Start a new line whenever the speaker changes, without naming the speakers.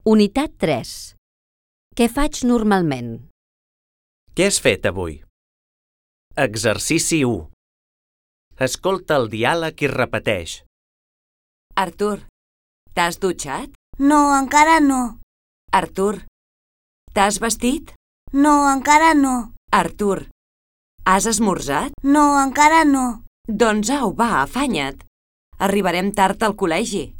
Unitat 3. Què faig normalment?
Què has fet avui? Exercici 1. Escolta el diàleg i repeteix.
Artur, t'has dutxat?
No, encara no.
Artur, t'has vestit?
No, encara no.
Artur, has esmorzat?
No, encara no.
Doncs au, va, afanya't. Arribarem tard al col·legi.